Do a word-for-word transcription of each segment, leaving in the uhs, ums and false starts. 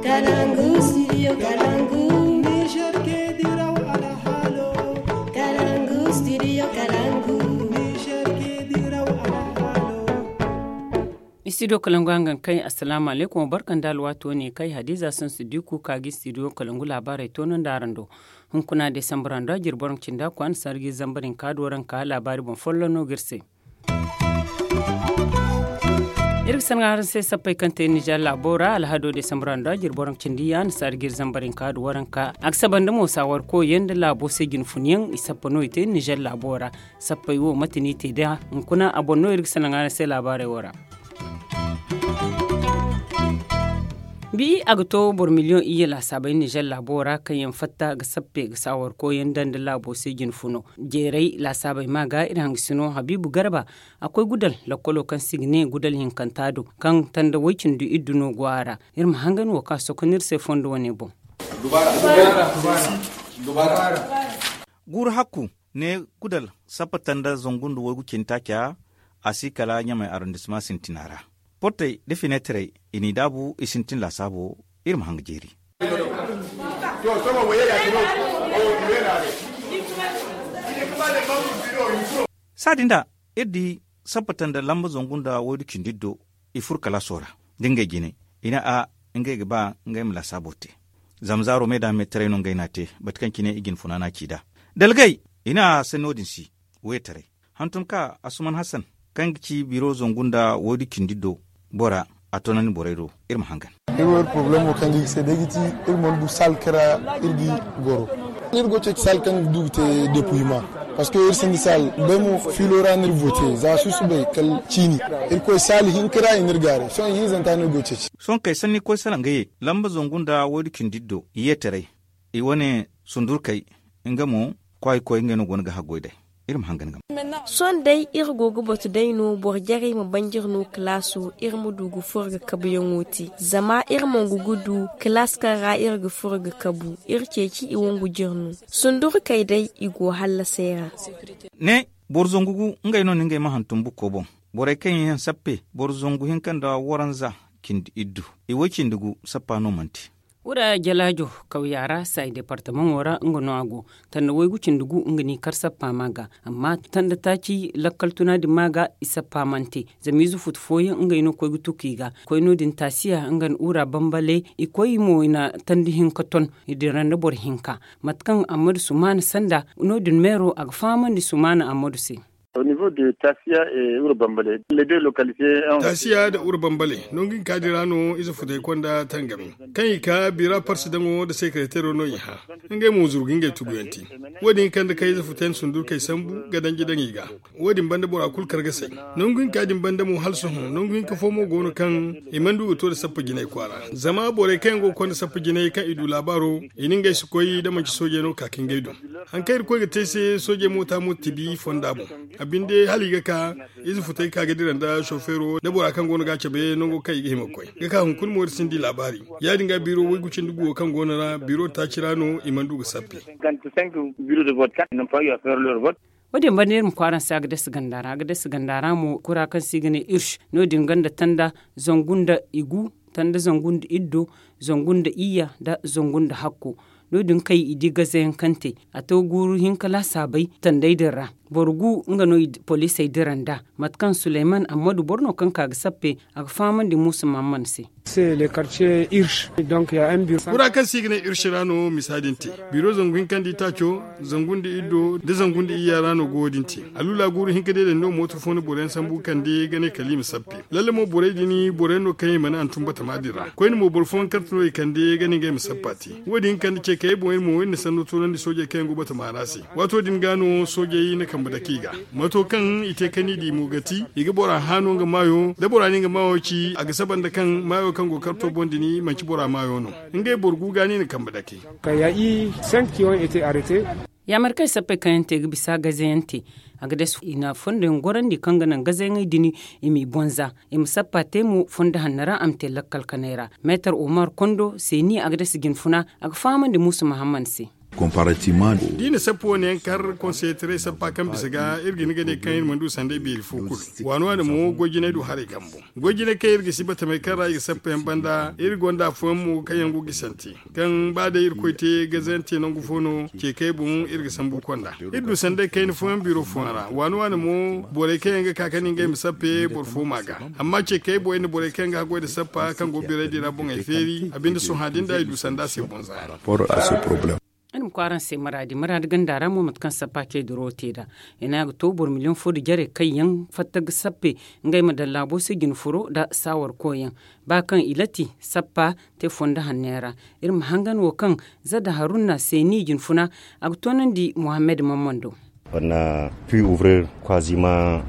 Kalangu, studio Kalangu. Niger ke diraw alhalo. Kalangu, studio Kalangu. Niger ke diraw alhalo. Studio Kalangu hangan kai, assalamu alaikum, barkan da alwato ne kai, Hadiza Sansu Diku ka gi studio Kalangu labarai tonon da arando. Hunkuna Desambra ndo jirboran cinda kwan sargi zambarin ka doran ka labari bon follono girse. Iri ga sanga araŋ se sappey kaŋ te Nijar laabo ra, alhado Desambra ndo a jiri boro cindi ya na saari ga iri zambar hinka da waranka. A ga saba nda mo saawar koy yaŋ nda laabo se jine fun yaŋ i sappa no i te Nijar laabo ra. Sappey wo mate no i te da hunkuna a boŋ no iri ga sanga araŋ se laabaarey wo ra. Bi a ga to boro miliyoŋ iyye laasaabey Nijar laabo ra kaŋ yaŋ fatta ga sappe ga saawar koy yaŋ daŋ nda laabo se jine funo. Jeeray laasaabey ma ga iri hangasino Habiibu Garba. A koy gudal lakkolo kaŋ se i ga ne gudal hinkanta do kaŋ tanda way-cindi iddu no go a ra. Iri ma hangan wo kaŋ a sokonda iri se fondo wane boŋ. Guuru hakku ne gudal sappa tanda zangu nda waygu cindi taaca. A si kala ɲamay arondisma sintina ra portey nda fineetarey i n'i daabu i sintin laasaabo. Iri ma hanga jeeri. Saadin da iri di sappata nda lamba zangu nda waydu cindi iddo. I furo kalaaso ra da ngey jine i ne a ngey ga ba ngey ma laasaabo te. Zama zaaro me da me taray no ngey n'a te bate kaŋ cine i jine funa n'a ci nd'a dalgay. I ne a se no- din si wayetaray hantum ka asuman hasan kaŋ ga ci biro zangu nda waydu cindi iddo bora. A toonandi borey do iri ma hangan. Iri wo iri poroblemo kaŋ ga iri se day ga ti iri mana du saal kaŋ ra iri ga goro. Iri go ceeci saal kaŋ ga du ga te depuyma. Parceque iri sinda saal day mo fiilo ra no iri vote za susubay kala ciini. Iri koy saal hinka ra i na iri gaaray sohõ ihinzanta no iri go ceeci. Sohõ kay sanni koy salaŋ ga ye lamba zangu nda waydu cindi iddo i ye taray. I wane sundurkey nga mo kwaay koy ngey no go no ga haggoy day. Iri ma hangan ga ma. Sohõ day iri go ga batu day no boro jarey ma banjir no kalaaso iri ma du ga furo ga kabuyaŋo te zama iri mongu ga du kalaas kaŋ ra iri ga furo ga kabu. Iri ceeci i wongu jire no sundurkey day i go hallasey ra. Ne boro zangu gu ngey no na ngey ma hantum bukko boŋ. Borey kaŋ yaŋ sappe boro zangu hinka nda waranza cindi iddu i way cindi gu sappa no mana te. Wura jalaajo kawya ra saayi departamaŋo ra nga no a go. Tanda waygu cindi gu nga n'i kar sappa ma ga amma tanda taaci lakkal tuna din ma ga i sappa mana te. Zama ize futu fooyaŋ ngey no koy ga tuku i ga koy no- din taasiya nga nda wura bambale i koy mo i na tanda hinka ton. I dira nda boro hinka mate kaŋ ammadu sumaana sanda no- din meero a ga fahamandi sumaana ammadu se. Taasiya nda wura bambale nangu hinka din ra no ize futey konda tangami kaŋ i ka bira parsi daŋo nda sekeretero no i hã. Ngey mo zuru ga ngey tuguyaŋ te. Wo- din kande kaŋ ize futey na sundurkey sambu ga danji daŋ i ga. Wo- din banda bora kulu kar ga say nangu hinka din banda mo hala sohõ nangu hinka fo mo go no kaŋ i mana du ga to nda sappa jinay kwaara. Zama borey kaŋ yaŋ go ga konda sappa jinay kaŋ i du laabaaro i na ngey si koy da manci soojey no ga ka ka ngey do. Hari kaŋ iri koy ga te se soojey moota mo tibi fonda boŋ. A binde hala i ga ka ize futey ka ga dira nda sofeero nda bora kaŋ go no ga a cabe nango kaŋ i ga hima ga koy ga ka hunkuna mo iri si ni di laabaari. Ya- din ga biro waygu cindi guwo kaŋ go no ra biro taaci ra no i mana du ga sappe. Wo- din banda iri ma kwaara se a ga dasa ganda ra a ga dasa ganda ra mo kura kaŋ se i ga ne irsh no- din ganda tanda zangu nda igu tanda zangu nda iddo zangu nda iyya nda zangu nda hakko. No- din kay i di gazayaŋ kaŋ te a to guuru hinka laasaabay tandey din ra. Boro gu nga no poliisey dira nd'a mate kaŋ suleyman ammadu boro no kaŋ ka ga sappe a ga fahamandi muusa mahamman se. Kura kaŋ se i ga ne irsi ra no misa din te. Biro zangu hinka nda itaaco zangu nda iddo nda zangu nda iyya ra no go wo- din te. Alula guuru hinka day din no mooto fo na boro yaŋ sambu ga kande ga ne kala i ma sappe. Lalle mo borey din boro yaŋ no kaŋ i mana hantum batama din ra koyne mo boro fooyaŋ karte no i kande ga ne ngey ma sappa te. Wo- din kande ce kaŋ iri boŋ iri mo iri na sanno toonandi soojey kaŋ yaŋ go batama ra se. Waato din ga no soojey na kambe dake i ga. Mato kaŋ i te ka ni di mo ga ti i ga bora hã no nga maayo da bora na nga maayo ci a ga saba nda kaŋ maayo kaŋ go karto boŋ din manci bora maayo no. Ngey boro gu ga no i na kambe dake. Yaamar kaŋ i sappey kaŋ yaŋ te ga bisa gaze yaŋ te. A ga dees i na fondo yaŋ gorandi kaŋ ga naŋ gaze yaŋey din i m'i bonza. I ma sappa te mo fondo hanno ra a ma te lakkal kanay ra. Meetar omar kondo seeni a ga dees jinfuna a ga fahamandi muusa mahamman se. Da i na sappa wane yaŋ kar konseyetaray sappa kaŋ bisa ga iri ga hin ga ne kaŋ iri mana du sanday beeri fo kulu. Waani waani mo goy jinay du haray kambo. Goy jinay kaŋ iri ga si batamey kaŋ ra i ga sappa yaŋ banda iri gonda afooyaŋ mo kaŋ yaŋ go gisante, kaŋ ba day irkoy te gazante nangu fo no. Ce kay boŋ iri ga sambu konda. Iri du sanday kayna fooyaŋ biro fooyaŋ ra waani waani mo borey kaŋ yaŋ ga ka ka ne ngey ma sappe boro fo ma ga. Amma ce kay boŋ iri na borey kaŋ yaŋ ga haggoy nda sappa kaŋ go biraydi ra boŋey feeri a binde sohã din da i du sanda se boŋ zaari. Iri ma koy araŋ se maraadi maraadi ganda ra mo mate kaŋ sappa ce duro te nd'a. I ne a ga to boro miliyoŋ fo nda jare kaŋ yaŋ fatta ga sappe ngey ma daŋ laabo se jina furo nda saawar koy yaŋ. Ba kaŋ i lati sappa te fondo hanno yaŋ ra. Iri ma hangan wo kaŋ zadda haruna seeni jina funa a ga toonandi muhammad mammando.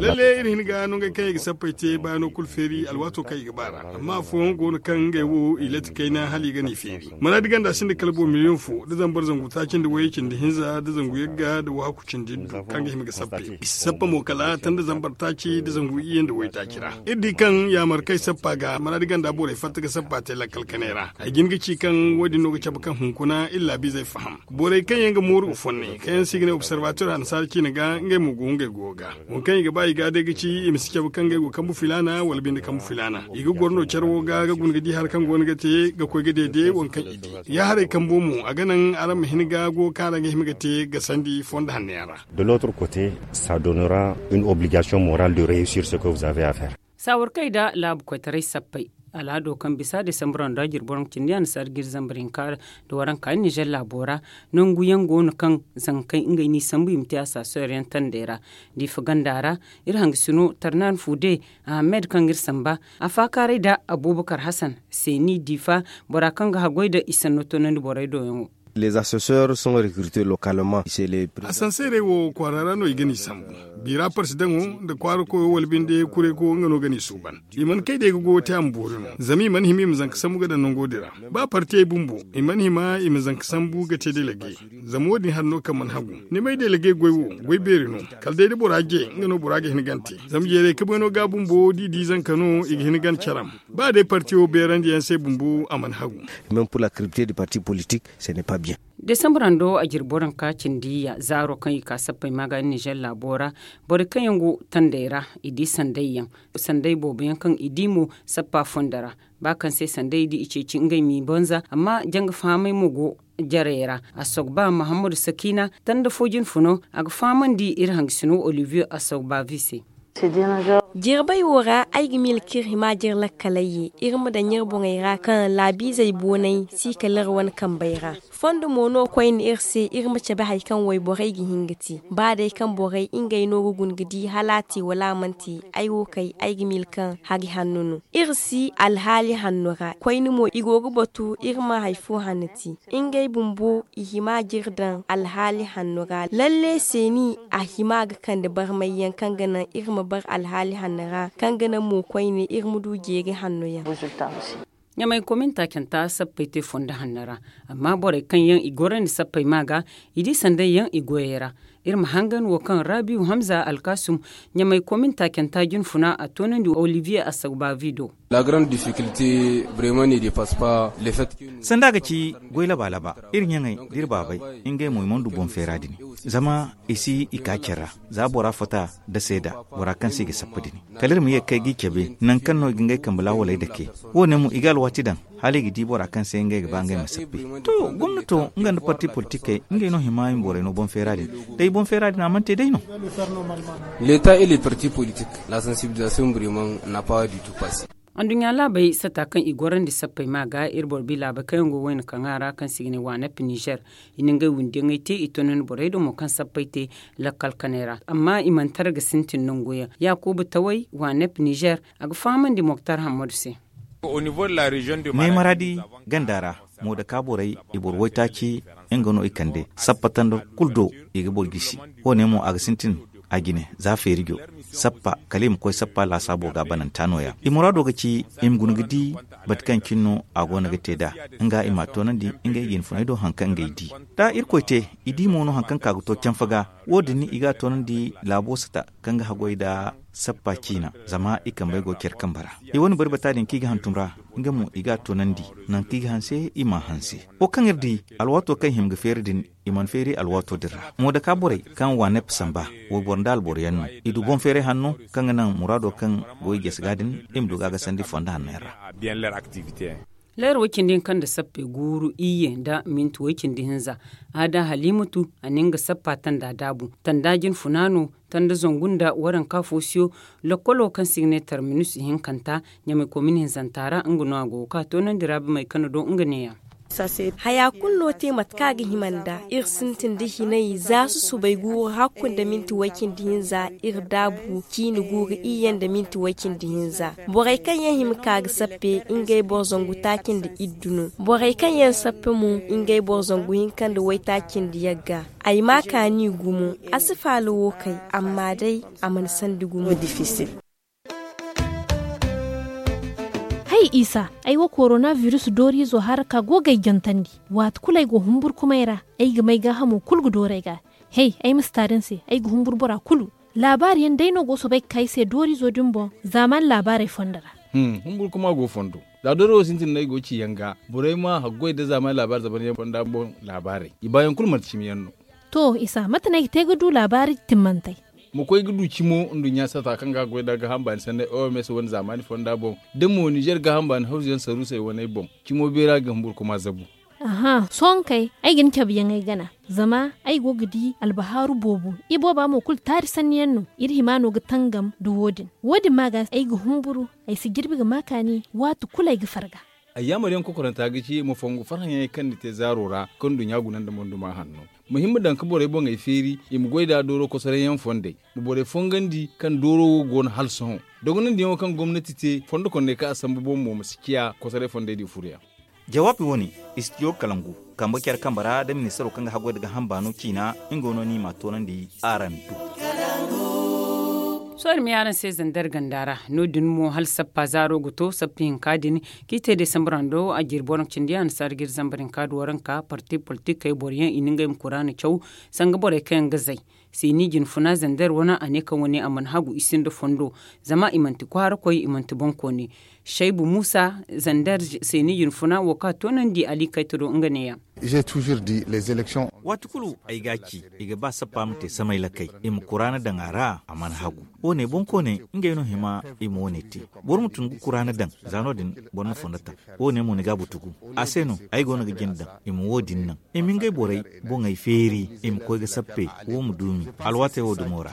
Lalle iri hin ga no ngey kaŋ i ga sappey te baano kulu feeri alwaato kaŋ i ga ba ra. Amma afooyaŋ go no kaŋ ngey wo i lati kayna hala i ga no i feeri. Maraadi ganda sinda kala boro miliyoŋ fo da zambar zangu taaci nda wayye cindi hinza da zangu yagga da wahakku cindi iddu kaŋ ga hima ga sappe. I si sappa mo kala tanda zambar taaci da zangu iyye nda waytaaci ra. Iri di kaŋ yaamar kaŋ ay sappa ga maraadi ganda borey fatta ga sappa te lakkal kanay ra. Ay jin ga ci kaŋ wo- din no ga cabe kaŋ hunkuna iri laabiizey faham. Borey kaŋ yaŋ ga mooru ga fonnay kaŋ yaŋ se i ga ne observateur annasaara ciine ga ngey mo go ngey goyo ga. Waŋ kaŋ i ga ba i ga day ga ci i ma si cabe kaŋ ngey go kambu filaana wala binde kambu filaana. I ga goro no care wo ga ga guna ga di hari kaŋ go no ga te ga koy ga deede waŋ kaŋ i di. Ya haray kambo mo a ga naŋ araŋ ma hin ga go kaŋ araŋ ga hima ga te ga sandi fondo hanno yaŋ ra. De l'autre côté, ça donnera une obligation morale de réussir ce que vous avez à faire. Saawarkey nda laabu koytaray sappey. Al'aado kaŋ bisa desambarando a jiri boro ma cindi annasaara jiri zambar hinka nda waranka nizer laabo ra. Nangu yaŋ go no kaŋ zankey ngey n'i sambu i ma te association yaŋ tandey ra. Diifa ganda ra iri hangasino tarnan fude ahamed kaŋ ga iri samba. Afaakaaray nda abuubakar hasan seeni diifa bora kaŋ ga haggoy nda i sanno toonandi borey do yaŋo. Les assesseurs sont recrutés localement. Asanseerey wo kwaara ra no i ga n'i sambu. Biira parsi daŋo nda kwaara koyo wala binde kuray koyo nga no ga n'i suuban. I mana kay day ga goyo te a ma boori no zama i mana hima i ma zanka sambu ga daŋ nango din ra. Ba partiyey bumbo i mana hima i ma zanka sambu ga te delege. Zama wo- din hari no kaŋ mana hagu. Ni may delege goy wo goy beeri no. Kala day da bora je nga no bora ga hin gante. Zama jeeray kabayno ga bumbo da i di zanka no i ga hin gante caram. Ba day partiyo beerandiyaŋ se bumbo a mana hagu. Même pour la cripte du parti politique, ce n'est pas bien. Desambarando a jiri boranka cindi ya zaaro kaŋ i ka sappey maaga nizer laabo ra. Borey kaŋ yaŋ go tandey ra i di sanday yaŋ. Sanday boobo yaŋ kaŋ i di mo sappa fondo ra. Ba kaŋ se sanday i di i ceeci ngey m'i banza amma janga fahamey mo go jarey ra. Assogba mahammadu sakina tanda fo jinfuno a ga fahamandi iri hangasino olivier assogbavi se. Jirbey wo ra ay ga miila kaŋ iri hima jire lakkaley ye iri ma daŋ iri boŋey ra kaŋ laabiizey boonay si kala iri wane kambey ra. Fondo mo no koyne iri se iri ma cabe hari kaŋ wayborey ga hin ga te. Ba day kaŋ borey ngey no ga guna ga di hala a te wala a mana te ay wo kay ay ga miila kaŋ hari hanno no. Iri si alhaali hanno ra koyne mo i go ga batu iri ma hari fo hanno te. Ngey bumbo i hima jire daŋ alhaali hanno ra lalle seeni a hima ga kande barmay yaŋ kaŋ ga naŋ iri ma bar alhaali hanno ra kaŋ ga naŋ mo koyne iri ma du jeeri hanno yaŋ. Ɲamay komin taacanta sappey te fondo hanno ra. Amma borey kaŋ yaŋ i gorandi sappey ma ga i di sanday yaŋ i goyey ra. Iri ma hangan wo kaŋ rabiu hamza alkasum ɲamay komin taacanta jinfuna a toonandi olivier assagbavi do. La grande difficulté vraiment ne dépasse pas le fait que sanda ga ci goy laba laba iri ɲaŋey da iri baabey ngey mo i mana du boŋ feera din. Zama i si i ka care ra za bora fota da seeda bora kaŋ se i ga sappa din. Kala iri ma ye ga kay g'i cabe nangu kaŋ no i ga ngey kambe laawaley dake. Wo- ne mo i ga alwaati daŋ hala i ga di bora kaŋ se ngey ga ba ngey ma sappe. To gomnato nga nda parti politikey ngey no hima i ma borey no boŋ feera din. Day boŋ feera din a mana te day no. L'état et les partis politiques la sensibilisation vraiment n'a pas du tout passé. Anduɲɲa laabey sata kaŋ i gorandi sappey ma ga iri boro bi laabey kaŋ yaŋ go wayna kaŋa ra kaŋ se i ga ne waanep nizer. I na ngey wundiyaŋey te i tonandi borey do mo kaŋ sappey te lakkal kanay ra amma i mana tara ga sintin nangu yaŋ yaakuuba taway waanep nizer. A ga fahamandi moktar hammadu se. Ne maradi ganda ra moodaka borey i boro waytaaci nga no i kande sappa tanda kulu do. I ga boro gisi wo- ne mo a ga sintin a jine za feerijo sappa kala i ma koy sappa laasaabo ga bananta no- ya i muraado ga ci i ma guna ga di bate kaŋ cine no a go no ga te nd'a. Nga i m'a toonandi ngey jinfuney do hari kaŋ ngey di da irkoy te i di mo no hari kaŋ ka ga to canfa ga. Wo- din i ga a toonandi laabo sata kaŋ ga haggoy nda Sappa ciina, zama i kambey go care kambe ra. I wane bari bata din kaŋ i ga hantum ra, nga mo i ga a toonandi. Nangu kaŋ i ga hanse i m'a hanse. Wo kaŋ iri di, alwaato kaŋ i hima ga feeri din, i mana feeri alwaato din ra. Moodaka borey kaŋ waanep samba, wayboro nda alboro yaŋ no. I du boŋ feeray hanno kaŋ ga naŋ muraado kaŋ go i jese ga din, i ma du ga a gasandi fondo hanno yaŋ ra. Leera way cindi hinka nda sappe guuru iyye nda minti way cindi hinza. Aada halimatu, a na nga sappa tanda daabu. Tanda jinfuna no, tanda zangu nda waranka foosiyo. Lokkolo kaŋ se i ga ne tarminus ihinkanta, ɲamay komin hinzanta ra, nga no a go ga ka toonandi ra bamey kaŋ na do nga neeya. Haya kulu no te mate kaŋ a ga hima nda iri sintin da hinay za susubay guuru hakku nda minti way cindi hinza. Iri daabu ciini guuru iyye nda minti way cindi hinza. Borey kaŋ yaŋ hima ka ga sappe, ngey boro zangu taaci nda iddu no. Borey kaŋ yaŋ sappe mo, ngey boro zangu hinka nda waytaaci nda yagga. Ay ma kaani gumo. A si faala wo kay, amma day a mana sandi gumo. Hay isa, ay wo korona virus dooriizo hara ka go ga ay jantandi. Waati kulu ay go humburkumay ra, ay ga may gaahamo kulu ga dooru ay ga. Hey, ay ma si taari ni se, ay ga humbur bora kulu. Laabaari yaŋ day no go soobay ga ka ay se dooriizo din boŋ, zaamaani laabaarey fondo ra. Humbur kuma go fondo. Za doori wo sintin no ay go ci yaŋ ga, borey ma haggoy nda zaamaani laabaari zaban yaŋ fonda boŋ laabaarey, i baayaŋ kulu manti cimi yaŋ no. To isa, mate no ay ga te ga du laabaari timmantey? Ma koy ga du cimo nduɲɲa sata kaŋ ga goy nda gaaham baani sanney oms wane zaamaani fonda boŋ, da mo nizer gaaham baani hawzu yaŋ saruusey waney boŋ, cimo beera ga humbur kuma zabu. Aha, sohõ kay, ay ga ni cabe yaŋ ay gana. Zama ay go ga di albahaaru boobo. Ibooba mo kulu taari sanni yaŋ no. Iri hima no ga tangam nda wo- din. Wo- din ma ga ay ga humburu. Ay si jirbi ga ma kaani waati kulu ay ga farga. Ay yaamar yaŋ kokoranta ga ci ma fongu farhã yaŋey kaŋ ni te zaaro ra, kaŋ nduɲɲa guna nda monduma hanno. Ma hima daŋ ga borey boŋey feeri, i ma goy nda dooro kosoray yaŋ fondey. Ma borey fongandi kaŋ dooro wo go no hala sohõ. Dogonandi yaŋo kaŋ gomnati te fondo kondey kaŋ a sambu boŋ mo ma si ciya kosoray fondey di furo yaŋ. Jawaabi wo- ne, istidiyo kalangu, kambe care kambe ra da ministaro kaŋ ga haggoy nda gaaham baano ciina, nga no ni ma a toonandi araŋ do. Sohõ iri ma ye araŋ se zandar ganda ra. No- din mo hala sappa zaaro ga to sappa hinka din, kaŋ i te desambar hando a jirbi waranka cindi annasaara ga iri zambar hinka nda waranka parti politikey boro yaŋ i na ngey ma kuraana caw. Sanga borey kaŋ yaŋ ga zay, seeni jinfuna zandar wane a ne kaŋ wane a mana hagu i sinda fondo. Zama i manti kwaarakoy, i manti boŋkooni. Shaybu muusa, zandar seeni jinfuna wo kaŋ a toonandi ali kayta do nga neeya. Waati kulu ay ga a ci, i ga ba sappa ma te samay lakay, i ma kuraana daŋ a ra, a mana hagu. Wo- ne boŋkooney, ngey no hima i ma wo- ne te. Boro ma tun ga kuraana daŋ, za no- din boro na fondo taŋ. Wo- ne mo ni ga a butugu. A se no ay go no ga jina daŋ, i ma wo- din naŋ, i ma ngey borey boŋey feeri, i ma koy ga sappe, wo ma duumi alwaatey wo dumo ra.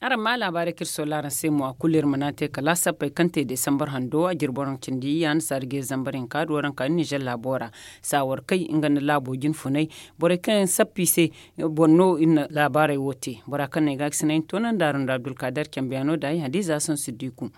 Araŋ ma laabaarey kaŋ iri soola araŋ se mo, a kulu iri mana te kala sappey kaŋ te desambar hando a jirbi waranka cindi yaŋ annasaara ga iri zambar hinka nda waranka nizer laabo ra. Saawar kay nga nda laabo jinfunay, borey kaŋ yaŋ sappa i se, boro no iri na laabaarey wo te. Bora kaŋ no ay ga a ga sinay ni toonandi araŋ nda abdulkaadar cambeyaano nda ay hadiza sansidiku.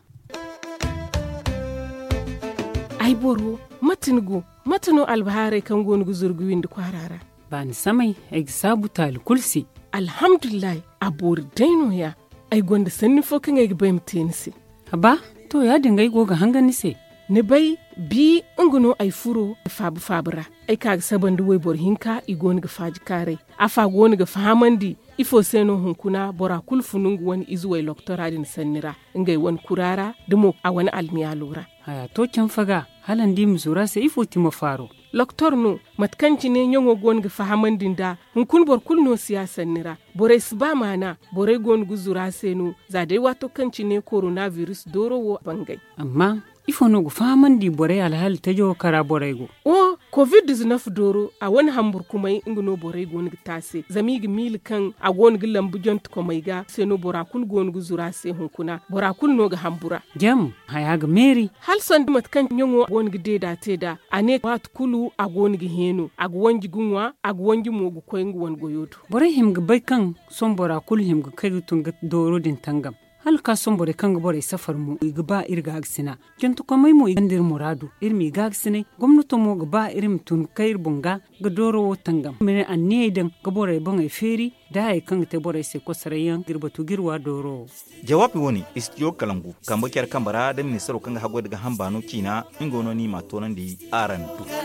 Ay boro, mate ni go? Mate no albahaarey kaŋ go no ga zuru ga windi kwaara ra? Baani samay, ay ga saabu taali kulu se. Alhamdulillahi, a boori day no- ya. Ay gonda sanni fo kaŋ ay ga bay ma te ni se. Haba, to ya- din ga ay go ga hangan ni se. Ni bay, bi nga no ay furo faaba faaba ra. Ay ka ga saba nda wayboro hinka i go no ga faaji kaaray. Afa go no ga fahamandi ifo se no hunkuna bora kulu funu nga wane ize way loktora din sanni ra, ngey wane kura ra, da mo a wane almiyaalo ra. Haya to canfa ga, hala ni di ma zuru a se ifo ti ma faaro? Loktor no, mate kaŋ cine ɲaŋo go no ga fahamandi nd'a. Hunkuna boro kulu no si ya sanni ra. Borey si ba maana. Borey go no ga zuru a se no, za day waato kaŋ cine korona biris dooro wo bangay. Amma ifo no ga fahamandi borey alhaali tajo wo kaŋ ra borey go? O, kovid diznef dooro, a wane hamburkumay nga no borey go no ga te a se. Zama i ga miila kaŋ a go no ga lambu jantekomey ga se no bora kulu go no ga zuru a se hunkuna. Bora kulu no ga hambura. Jam, haya ga meeri. Hala sanda mate kaŋ ɲaŋo go no ga deeda te nd'a, a ne waati kulu a go no ga heeno, a ga wanji ga ŋwa, a ga wanji mo ga koy nga wane goyo do. Borey hima ga bay kaŋ sohõ bora kulu hima ga kay ga tun ga dooro din tangam. Hala ga ka sohõ borey kaŋ ga borey safar mo, i ga ba iri gaagasina. Jantekomey mo, i gonda iri muraadu, iri m'i gaagasina. Gomnato mo ga ba iri ma tun ga kay iri boŋ ga, ga dooro wo tangam. Iri ma ne anniyey daŋ ga borey boŋey feeri, da hayey kaŋ ga te borey se kosoray yaŋ ga iri batu ga iri wa dooro wo. Jawaabi wo- ne, istidiyo kalangu, kambe care kambe ra da ministaro kaŋ ga haggoy nda gaaham baano ciina, nga no ni m'a toonandi araŋ do.